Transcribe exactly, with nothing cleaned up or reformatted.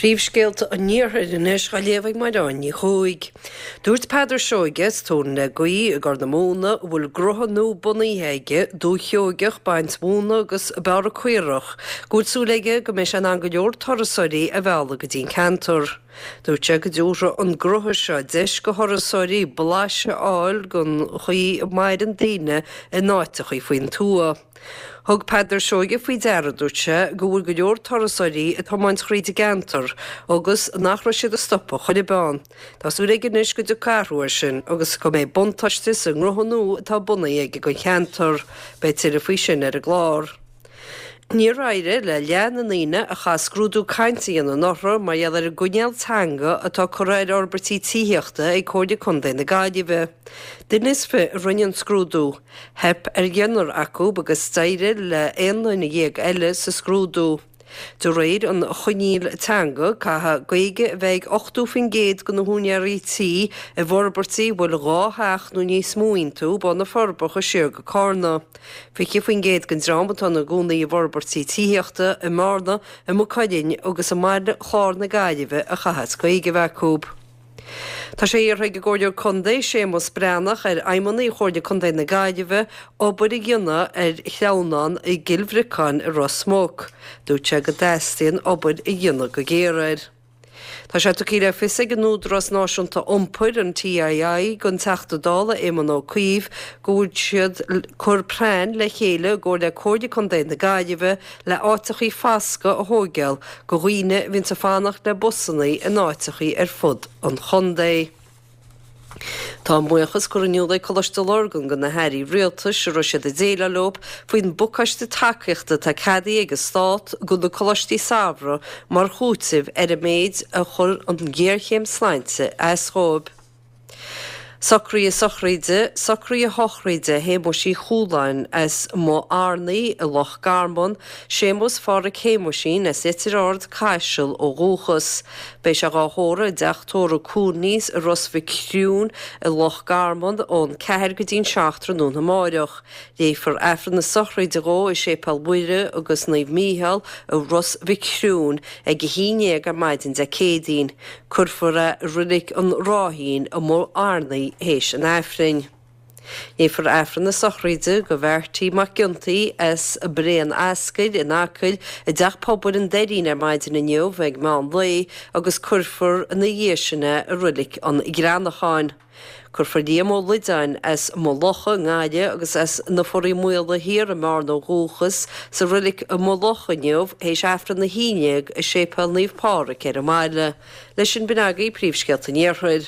Príomhscéalta an Iarthair anois á léamh ag Mairéad Ní Chuaig. Dúirt Peadar Seoige as Tóin le Gaoith i gCorr na Móna a bhfuil gnótha nua bunaithe aige, Dúiche Sheoigeach, Baint Mhóna agus Bearradh Caorach, go bhfuil súil aige go mbeidh sé in ann go leor turasóirí a mhealladh go dtí an ceantar. Dúirt sé go dtabharfaidh an gnótha seo deis go thurasóirí blaiseadh a fháil den chaoi a maireann daoine in áiteachaí faoin tuath. Thug Peadar Seoige faoi deara, dúirt sé, go bhfuil go leor turasóirí ag tiomáint thríd an gceantar agus nach raibh siad ag stopadh chor ar bith ann. Tá súil aige anois go dtiocfaidh athrú air sin agus go mbeidh buntáiste sa ngnótha nua atá bunaithe aige don cheantar. Beidh tuilleadh faoi sin ar an gclár. Níor éirigh le leath na ndaoine a chaith scrúdú cainte a dhéanamh anuraidh mar gheall ar an gcoinníoll teanga atá curtha ar fhorbairtí tithíochta ag Comhairle Contae na Gaillimhe. Duine is fiche a rinne an scrúdú. Theip ar dheichniúr acu agus d'éirigh le aon duine dhéag eile sa scrúdú. De réir an choinníll teanga, caithfidh Gaeilge a bheith ag ochtó faoin gcéad de na húinéirí tí i bhforbairtí a bhfuil dhá theach nó níos mó iontu ó na Forbacha siar go Carna. Fiche faoin gcéad den dream atá ina gcónaí i bhforbairtí tithíochta i mBearna, i Maigh Cuilinn agus i mBaile Chláir na Gaillimhe a chaithfeas Gaeilge a bheith acu. Tá sé iarrtha ag an gComhairleoir Contae, Séamus Breathnach, ar fheidhmeannaigh Chomhairle Contae na Gaillimhe obair a dhéanamh ar shleamhnán i gCill Bhriocáin i Ros Muc. Dúirt sé go dteastaíonn obair a dhéanamh go géar air. Tá sé tugtha le fios ag an Údarás Náisiúnta Iompair, an TII, don Teachta Dála Éamon Ó Cuív go bhfuil siad cur plean le chéile i gcomhar le Comhairle Contae na Gaillimhe le áiteachaí foscaidh a thóigeáil do dhaoine a bhíonns ag fanacht le busannaí in áiteachaí ar fud an chontae. Tá a mbuíochas curtha in iúl ag Coláiste Lurgan do na hairí rialtais a raibh siad ag déileáil leo faoin bpacáiste tacaíochta atá ceadaithe ag an Stát do na coláistí samhraidh mar chúiteamh ar an méid a chuir an ghéarchéim sláinte as dhóibh. Socruithe sochraide, Socruithe sochraide Shéamuis Uí Chualáin as Maigh Arnaí i Loch Garman, Séamus Phádhraic Shéamuisín as Leitir Ard, Caiseal ó dhúchas. Beidh sé dhá thórramh i dteach tórraimh Cooney's i Ros Mhic Thriúin i Loch Garman ón ceathair go dtí'n seacht tráthnóna amáireach. Léifear Aifreann na sochraide dhó i Séipéal Mhuire agus Naomh Mícheál i Ros Mhic Thriúin ag a haon déag ar maidin Dé Céadaoin. Cuirfear é i Reilig an Ráithín i Maigh Arnaí théis an Aifrinn. Léifear Aifreann na sochraide do Bheairtí Mac Giontaí as Bré an Ascail in Acaill i dTeach Pobail an Doirín ar maidin inniu ag meán lae agus cuirfear ina dhiaidh sin é i Reilig an Ghreanacháin. Cuirfear Liam Ó Loideáin as Maigh Locha i nGaillimh agus as na Foraí Maola Thiar i mBearna ó dhúchas sa reilig i Maigh Locha inniu théis Aifreann a haon déag i Séipéal Naomh Pádraig ar an mbaile. Leis sin b'in agaibh príomhscéalta an Iarthair.